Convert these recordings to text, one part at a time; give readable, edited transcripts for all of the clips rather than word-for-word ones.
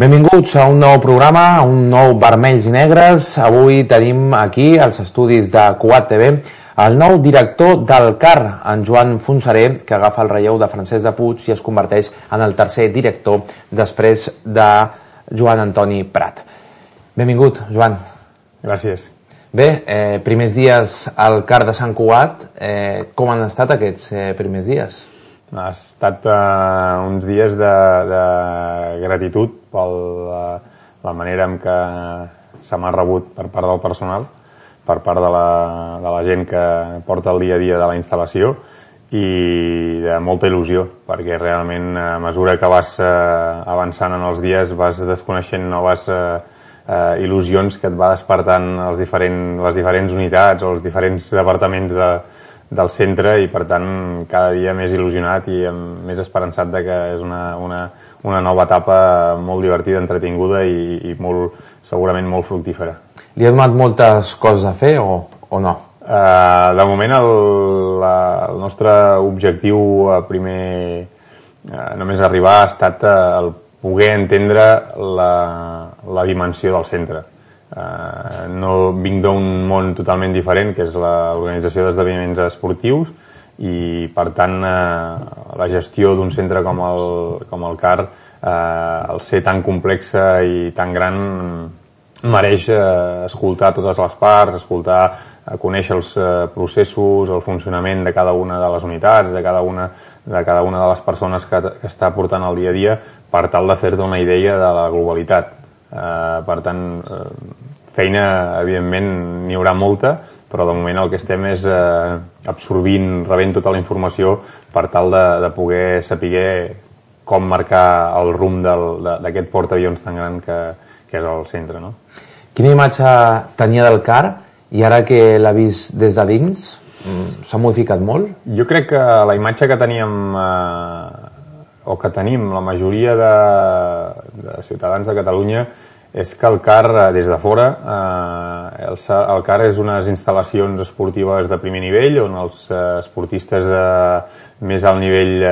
Benvinguts a un nou programa, a un nou Vermells i Negres. Avui tenim aquí, als estudis de Cugat TV, el nou director del CAR, en Joan Fontseré, que agafa el relleu de Francesc de Puig i es converteix en el tercer director després de Joan Antoni Prat. Benvingut, Joan. Gràcies. Bé, primers dies al CAR de Sant Cugat. Com han estat aquests primers dies? Ha estat uns dies de gratitud per la manera en què se m'ha rebut per part del personal, per part de la gent que porta el dia a dia de la instal·lació, i de molta il·lusió, perquè realment a mesura que vas avançant en els dies vas desconeixent noves il·lusions que et va despertant les diferents unitats o els diferents departaments del centre, i per tant cada dia més il·lusionat i més esperançat de que és una nova etapa molt divertida, entretinguda i segurament molt fructífera. Li ha donat moltes coses a fer o no? De moment el nostre objectiu primer, només arribar, ha estat el poder entendre la dimensió del centre. No vinc d'un món totalment diferent, que és l'organització d'esdeveniments esportius, i per tant la gestió d'un centre com el CAR, al ser tan complexa i tan gran, mereix escoltar totes les parts, conèixer els processos, el funcionament de cada una de les unitats, de cada una de les persones que està portant el dia a dia, per tal de fer-te una idea de la globalitat. Per tant, feina, evidentment, n'hi haurà molta, però de moment el que estem és absorbint, rebent tota la informació per tal de poder saber com marcar el rumb d'aquest portaavions tan gran que és el centre, no? Quina imatge tenia del CAR i ara que l'ha vist des de dins s'ha modificat molt? Jo crec que la imatge que teníem o que tenim la majoria de ciutadans de Catalunya és que el CAR, des de fora, el CAR és unes instal·lacions esportives de primer nivell on els esportistes de més alt nivell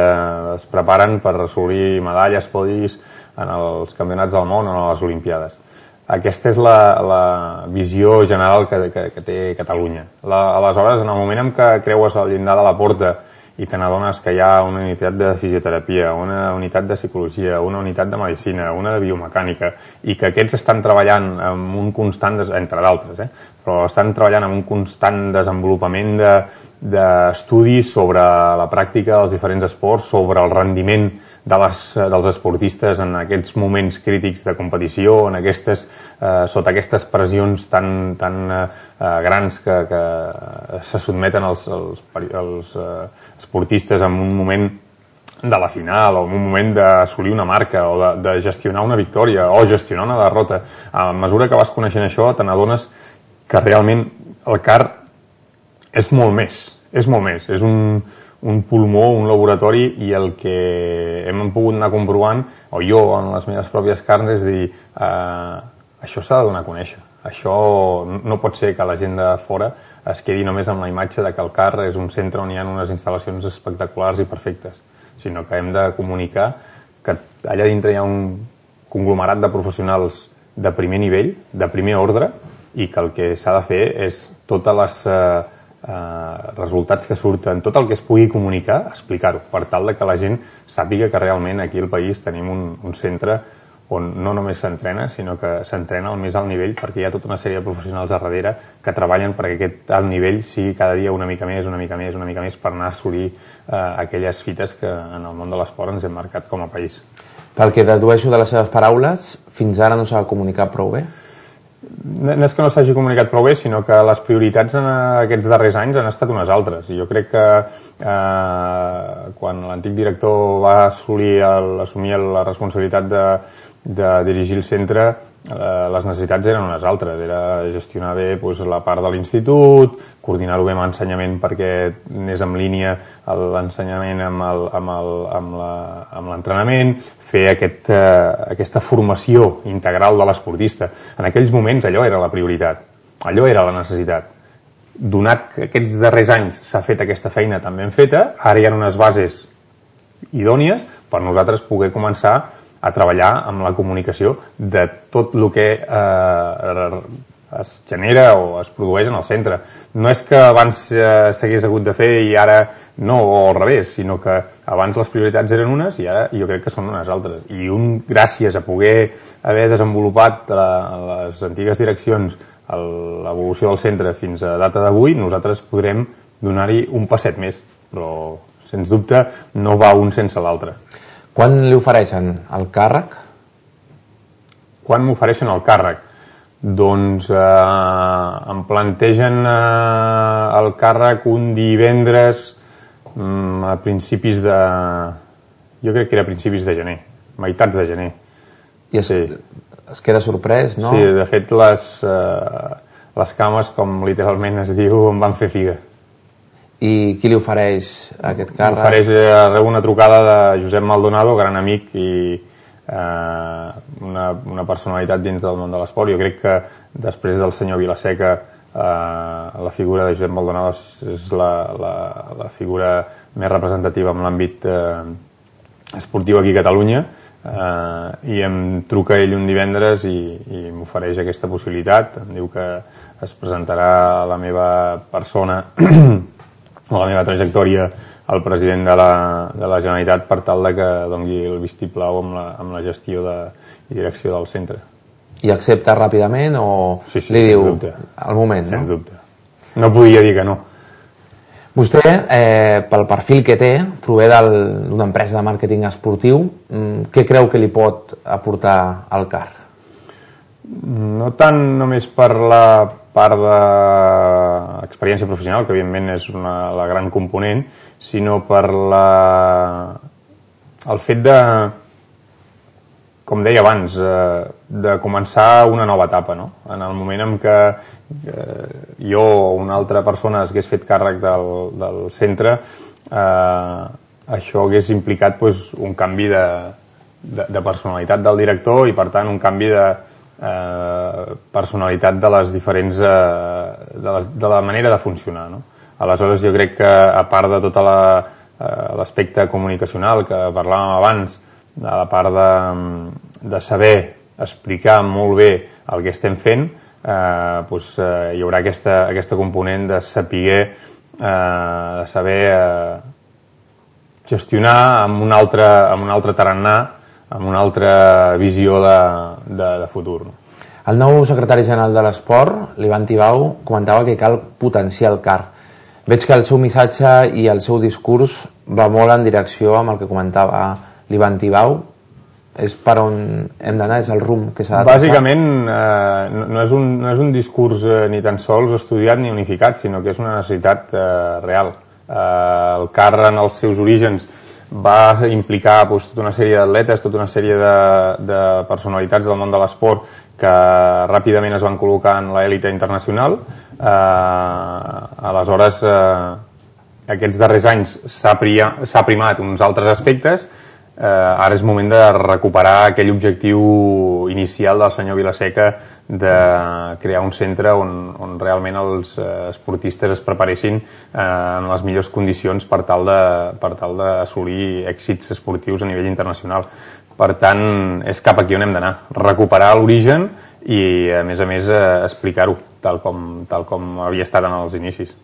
es preparen per assolir medalles, podis en els campionats del món o a les Olimpiades. Aquesta és la visió general que té Catalunya. Aleshores, en el moment en què creues al llindar de la porta i te n'adones que hi ha una unitat de fisioterapia, una unitat de psicologia, una unitat de medicina, una de biomecànica, i que aquests estan treballant amb un constant, entre d'altres, però estan treballant amb un constant desenvolupament d'estudis sobre la pràctica dels diferents esports, sobre el rendiment dels esportistes en aquests moments crítics de competició, sota aquestes pressions tan grans que se sotmeten els esportistes en un moment de la final o en un moment d'assolir una marca o de gestionar una victòria o gestionar una derrota. A mesura que vas coneixent això te n'adones que realment el CAR és molt més, és un pulmó, un laboratori, i el que hem pogut anar comprovant, o jo en les meves pròpies carns, és dir, això s'ha de donar a conèixer. Això no pot ser que la gent de fora es quedi només amb la imatge de que el CAR és un centre on hi ha unes instal·lacions espectaculars i perfectes, sinó que hem de comunicar que allà dintre hi ha un conglomerat de professionals de primer nivell, de primer ordre, i que el que s'ha de fer és totes les resultats que surten, tot el que es pugui comunicar, explicar-ho, per tal que la gent sàpiga que realment aquí al país tenim un centre on no només s'entrena, sinó que s'entrena al més alt nivell, perquè hi ha tota una sèrie de professionals a darrere que treballen perquè aquest alt nivell sigui cada dia una mica més per anar a assolir aquelles fites que en el món de l'esport ens hem marcat com a país. Pel que dedueixo de les seves paraules, fins ara no s'ha comunicat prou bé? No és que no s'hagi comunicat prou bé, sinó que les prioritats en aquests darrers anys han estat unes altres. I jo crec que quan l'antic director va assumir la responsabilitat de dirigir el centre, les necessitats eren unes altres. Era gestionar bé la part de l'institut, coordinar-ho bé amb l'ensenyament perquè anés en línia l'ensenyament amb l'entrenament, fer aquesta formació integral de l'esportista. En aquells moments allò era la prioritat, allò era la necessitat. Donat que aquests darrers anys s'ha fet aquesta feina tan ben feta, ara hi ha unes bases idònies per nosaltres poder començar a treballar amb la comunicació de tot el que es genera o es produeix en el centre. No és que abans s'hagués hagut de fer i ara no, o al revés, sinó que abans les prioritats eren unes i ara jo crec que són unes altres. I gràcies a poder haver desenvolupat les antigues direccions l'evolució del centre fins a data d'avui, nosaltres podrem donar-hi un passet més, però sens dubte no va un sense l'altre. Quan li ofereixen el càrrec? Quan m'ofereixen el càrrec? Doncs em plantegen el càrrec un divendres a principis de... Jo crec que era a principis de gener, meitats de gener. I es queda sorprès, no? Sí, de fet les cames, com literalment es diu, em van fer figa. I qui li ofereix aquest càrrec? M'ofereix una trucada de Josep Maldonado, gran amic i una personalitat dins del món de l'esport. Jo crec que després del senyor Vilaseca la figura de Josep Maldonado és la figura més representativa en l'àmbit esportiu aquí a Catalunya, i em truca ell un divendres i m'ofereix aquesta possibilitat. Em diu que es presentarà la meva persona o la meva trajectòria al president de la Generalitat per tal de que doni el vistiplau amb la gestió i direcció del centre. I accepta ràpidament o sí, li diu al moment? Sens dubte. No podia dir que no. Vostè, pel perfil que té, prové d'una empresa de màrqueting esportiu. Què creu que li pot aportar al CAR? No tant només per la part d'experiència professional, que evidentment és la gran component, sinó per el fet de, com deia abans, de començar una nova etapa, no? En el moment en què jo o una altra persona s'hagués fet càrrec del centre, això hagués implicat un canvi de personalitat del director i, per tant, un canvi de personalitat de les diferents de la manera de funcionar, no? Aleshores jo crec que, a part de tot l'aspecte comunicacional que parlàvem abans, de la part de saber explicar molt bé el que estem fent, hi haurà aquesta component de saber gestionar amb un altre tarannà, amb una altra visió de futur. El nou secretari general de l'Esport, l'Ivan Tibau, comentava que cal potenciar el CAR. Veig que el seu missatge i el seu discurs va molt en direcció amb el que comentava l'Ivan Tibau. És per on hem d'anar, és el rumb que s'ha de traçar? Bàsicament no és un discurs ni tan sols estudiat ni unificat, sinó que és una necessitat real. El CAR en els seus orígens va implicar tota una sèrie d'atletes, tota una sèrie de personalitats del món de l'esport que ràpidament es van col·locar en l'èlite internacional. Aleshores, aquests darrers anys s'ha primat uns altres aspectes. Ara és moment de recuperar aquell objectiu inicial del senyor Vilaseca de crear un centre on realment els esportistes es preparessin en les millors condicions per tal d'assolir èxits esportius a nivell internacional. Per tant, és cap aquí on hem d'anar, recuperar l'origen i, a més, explicar-ho tal com havia estat en els inicis.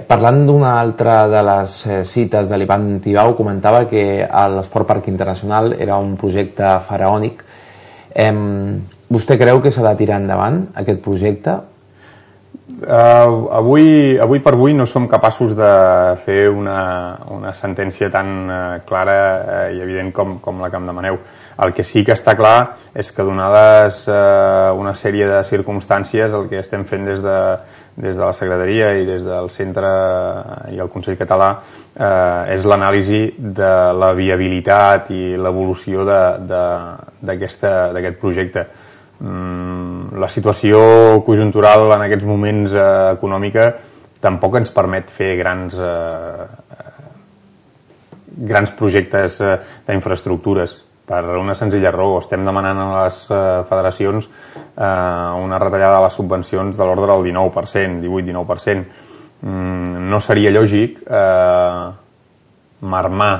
Parlant d'una altra de les cites de l'Ivan Tibau, comentava que l'Esport Parc Internacional era un projecte faraònic. Vostè creu que s'ha de tirar endavant aquest projecte? Avui per avui no som capaços de fer una sentència tan clara i evident com la que em demaneu. El que sí que està clar és que, donades una sèrie de circumstàncies, el que estem fent des de la Secretaria i des del Centre i el Consell Català és l'anàlisi de la viabilitat i l'evolució d'aquest projecte. La situació conjuntural en aquests moments econòmica tampoc ens permet fer grans projectes d'infraestructures, per una senzilla raó. Estem demanant a les federacions una retallada de les subvencions de l'ordre del 19%, 18-19%. No seria lògic marmar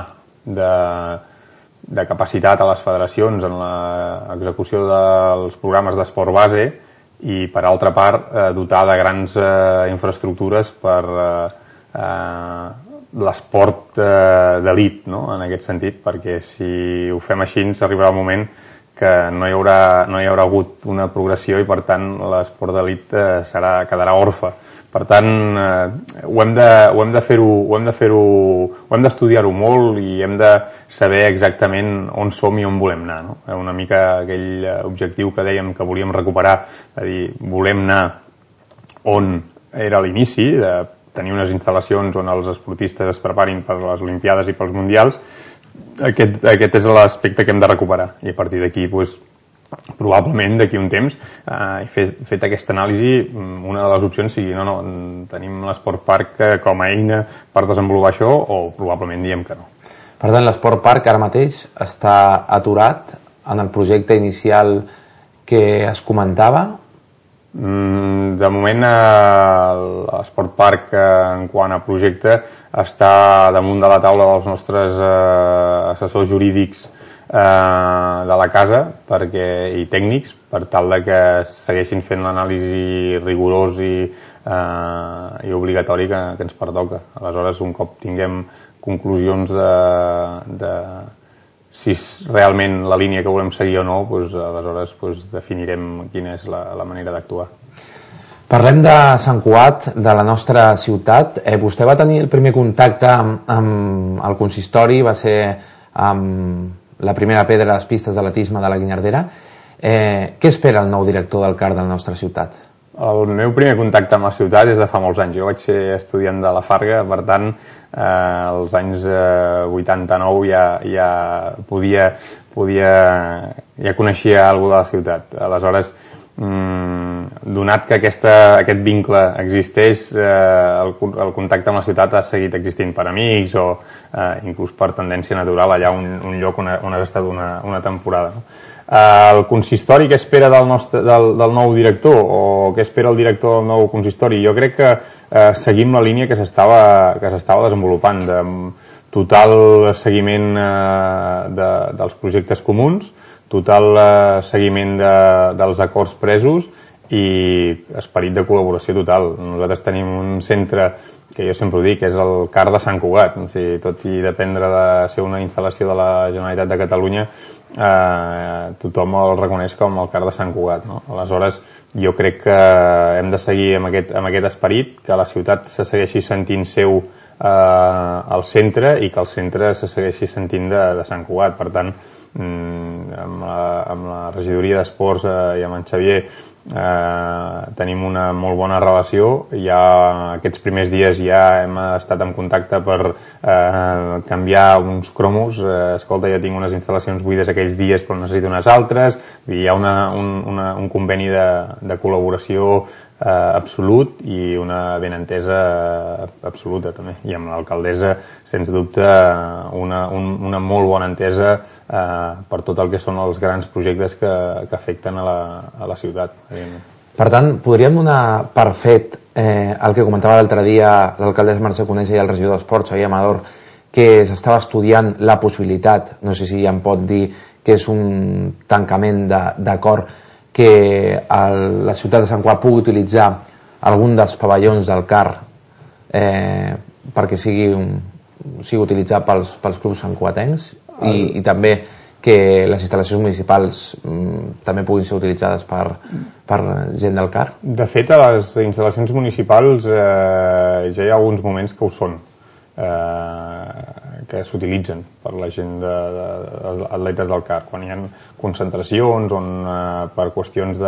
de capacitat a les federacions en l'execució dels programes d'esport base i, per altra part, dotar de grans infraestructures per l'esport d'elit, no? En aquest sentit, perquè si ho fem així arribarà el moment que no hi haurà hagut una progressió i, per tant, l'esport d'elit quedarà orfe. Per tant, ho hem d'estudiar-ho molt i hem de saber exactament on som i on volem anar, no? Una mica aquell objectiu que dèiem que volíem recuperar, és a dir, volem anar on era l'inici, de tenir unes instal·lacions on els esportistes es preparin per les Olimpiades i pels Mundials. Aquest és l'aspecte que hem de recuperar i a partir d'aquí, probablement d'aquí un temps, fet aquesta anàlisi, una de les opcions sigui no, tenim l'Esport Park com a eina per desenvolupar això, o probablement diem que no. Per tant, l'Esport Park ara mateix està aturat en el projecte inicial que es comentava? De moment l'Esport Park en quant a projecte està damunt de la taula dels nostres assessors jurídics de la casa i tècnics per tal de que segueixin fent l'anàlisi rigorós i obligatori que ens pertoca. Aleshores, un cop tinguem conclusions de si és realment la línia que volem seguir o no, aleshores definirem quina és la manera d'actuar. Parlem de Sant Cugat, de la nostra ciutat. Vostè va tenir el primer contacte amb el consistori, va ser amb la primera pedra a les pistes d'atletisme de la Guinyardera. Què espera el nou director del CAR de la nostra ciutat? El meu primer contacte amb la ciutat és de fa molts anys. Jo vaig ser estudiant de la Farga, per tant, als anys 89 ja coneixia alguna de la ciutat. Aleshores, donat que aquest vincle existeix, el contacte amb la ciutat ha seguit existint per amics o inclús per tendència natural allà un lloc on has estat una temporada. El consistori, què espera del nou director o què espera el director del nou consistori? Jo crec que seguim la línia que s'estava desenvolupant de total seguiment dels projectes comuns, total seguiment dels acords presos i esperit de col·laboració total. Nosaltres tenim un centre que jo sempre ho dic, és el CAR de Sant Cugat. Tot i dependre de ser una instal·lació de la Generalitat de Catalunya, tothom el reconeix com el CAR de Sant Cugat, no? Aleshores, jo crec que hem de seguir amb aquest esperit, que la ciutat se segueixi sentint seu al centre i que el centre se segueixi sentint de Sant Cugat. Per tant, amb la regidoria d'esports i amb en Xavier tenim una molt bona relació. Ja aquests primers dies ja hem estat en contacte per canviar uns cromos. Escolta, ja tinc unes instal·lacions buides aquells dies però necessito unes altres. Hi ha un conveni de col·laboració absolut i una benentesa absoluta també, i amb l'alcaldessa sens dubte una molt bona entesa per tot el que són els grans projectes que afecten a la ciutat. Per tant, podríem donar per fet el que comentava l'altre dia l'alcaldessa Mercè Conesa i el regidor d'Esports, Xavier Amador, que s'estava estudiant la possibilitat, no sé si ja em pot dir que és un tancament d'acord, que la ciutat de Sant Cugat pugui utilitzar algun dels pavellons del CAR perquè sigui utilitzat pels clubs santcugatencs i també que les instal·lacions municipals també puguin ser utilitzades per gent del CAR? De fet, a les instal·lacions municipals ja hi ha alguns moments que ho són, que s'utilitzen per la gent dels atletes del CAR, quan hi ha concentracions on per qüestions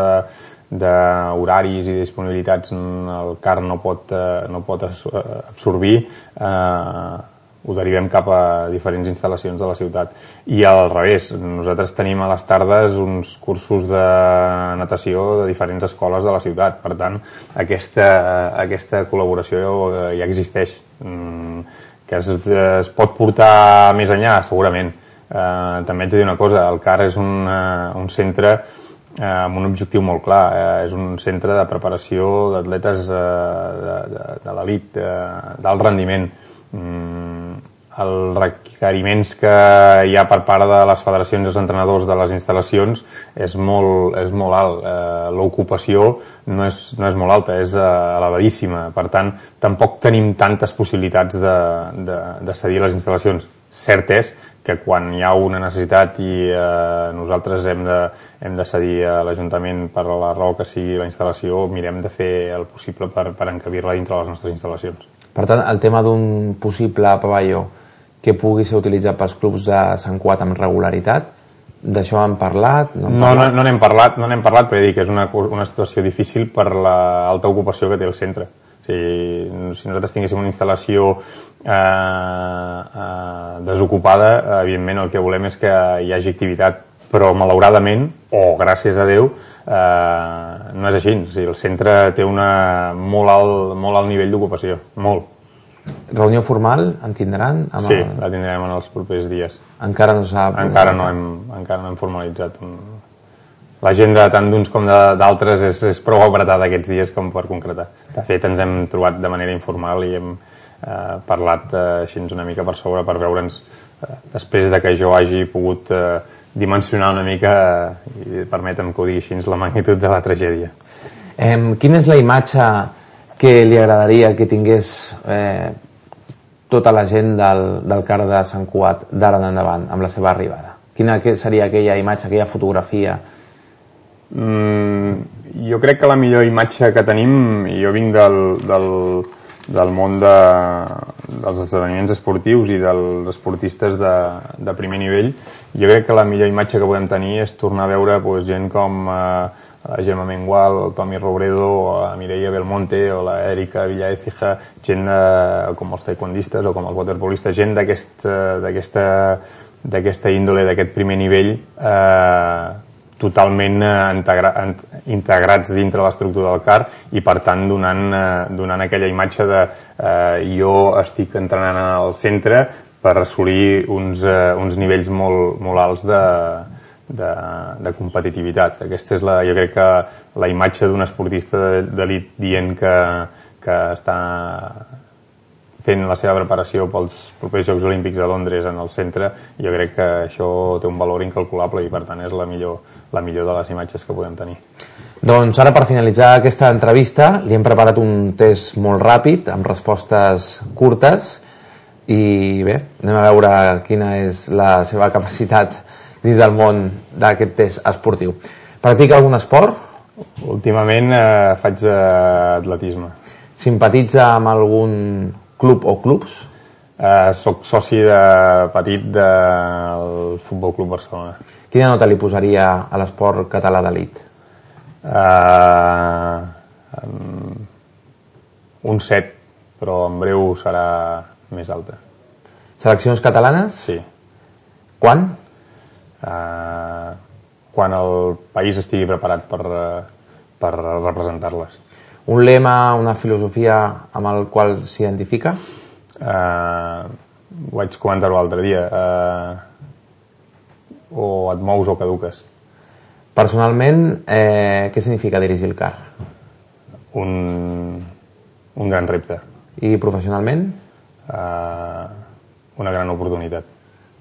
d'horaris i disponibilitats el CAR no pot absorbir, ho derivem cap a diferents instal·lacions de la ciutat. I al revés, nosaltres tenim a les tardes uns cursos de natació de diferents escoles de la ciutat. Per tant, aquesta col·laboració ja existeix. Que es pot portar més enllà, segurament. També haig de dir una cosa, el CAR és un centre amb un objectiu molt clar, és un centre de preparació d'atletes de l'elit, d'alt rendiment. els requeriments que hi ha per part de les federacions i els entrenadors de les instal·lacions és molt alt. L'ocupació no és molt alta, és elevadíssima. Per tant, tampoc tenim tantes possibilitats de cedir les instal·lacions. Cert és que quan hi ha una necessitat i nosaltres hem de cedir a l'Ajuntament per la raó que sigui la instal·lació, mirem de fer el possible per encabir-la dintre les nostres instal·lacions. Per tant, el tema d'un possible pavelló que pugui ser utilitzat pels clubs de Sant Cugat amb regularitat, d'això han parlat? No n'hem parlat, però he dit que és una situació difícil per l'alta ocupació que té el centre. Si nosaltres tinguéssim una instal·lació desocupada, evidentment el que volem és que hi hagi activitat, però malauradament, o gràcies a Déu, no és així. El centre té un molt alt nivell d'ocupació, molt. Reunió formal en tindran? Sí, la tindrem en els propers dies. Encara no s'ha... Encara no hem formalitzat. L'agenda tant d'uns com d'altres és prou apretada aquests dies com per concretar. De fet, ens hem trobat de manera informal i hem parlat així una mica per sobre per veure'ns, després de que jo hagi pogut dimensionar una mica, i permetem que ho digui així, la magnitud de la tragèdia. Quina és la imatge que li agradaria que tingués tota la gent del CAR de Sant Cugat d'ara en endavant, amb la seva arribada? Quina seria aquella imatge, aquella fotografia? Jo crec que la millor imatge que tenim, i jo vinc del món dels esdeveniments esportius i dels esportistes de primer nivell, jo crec que la millor imatge que podem tenir és tornar a veure gent com la Gemma Mengual, el Tommy Robredo, o la Mireia Belmonte, o la Erika Villaécija, gent com els taekwondistes o com els waterpolistes, gent d'aquesta índole, d'aquest primer nivell, totalment integrats dintre l'estructura del CAR i per tant donant aquella imatge de jo estic entrenant al centre per assolir uns nivells molt alts de competitivitat. Aquesta és jo crec que la imatge d'un esportista d'elit dient que està fent la seva preparació pels propers Jocs Olímpics de Londres en el centre, jo crec que això té un valor incalculable i per tant és la millor de les imatges que podem tenir. Doncs ara, per finalitzar aquesta entrevista, li hem preparat un test molt ràpid amb respostes curtes i bé, anem a veure quina és la seva capacitat dins del món d'aquest test esportiu. Practica algun esport? Últimament faig atletisme. Simpatitza amb algun club o clubs? Soc soci petit del Futbol Club Barcelona. Quina nota li posaria a l'esport català d'elit? Un 7, però en breu serà més alta. Seleccions catalanes? Sí. Quan? Quan el país estigui preparat per representar-les. Un lema, una filosofia amb el qual s'identifica? Vaig comentar-ho l'altre dia. O et mous o caduques. Personalment, què significa dirigir el CAR? Un gran repte. I professionalment? Una gran oportunitat.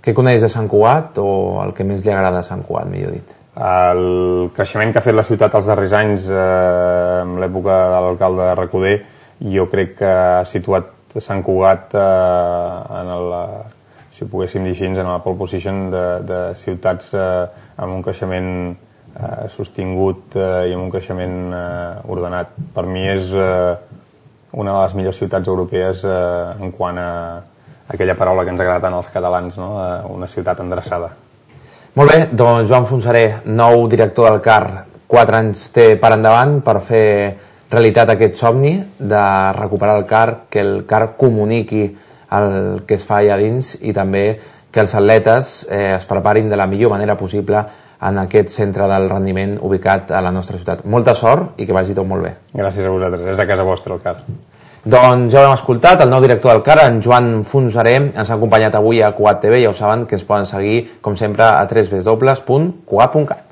Què coneix de Sant Cugat o el que més li agrada de Sant Cugat, millor dit? El creixement que ha fet la ciutat els darrers anys, en l'època de l'alcalde Recoder, jo crec que ha situat Sant Cugat si ho poguéssim dir així, en la pole position de ciutats amb un creixement sostingut i amb un creixement ordenat. Per mi és una de les millors ciutats europees en quant a aquella paraula que ens agrada tant als catalans, no? Una ciutat endreçada. Molt bé, doncs Joan Fontseré, nou director del CAR, 4 anys té per endavant per fer realitat aquest somni de recuperar el CAR, que el CAR comuniqui el que es fa allà dins i també que els atletes es preparin de la millor manera possible en aquest centre del rendiment ubicat a la nostra ciutat. Molta sort i que vagi tot molt bé. Gràcies a vosaltres, és a casa vostra el CAR. Doncs ja ho hem escoltat, el nou director del CAR, en Joan Fontseré, ens ha acompanyat avui a Cugat TV, ja ho saben que ens poden seguir, com sempre, a www.cugat.cat.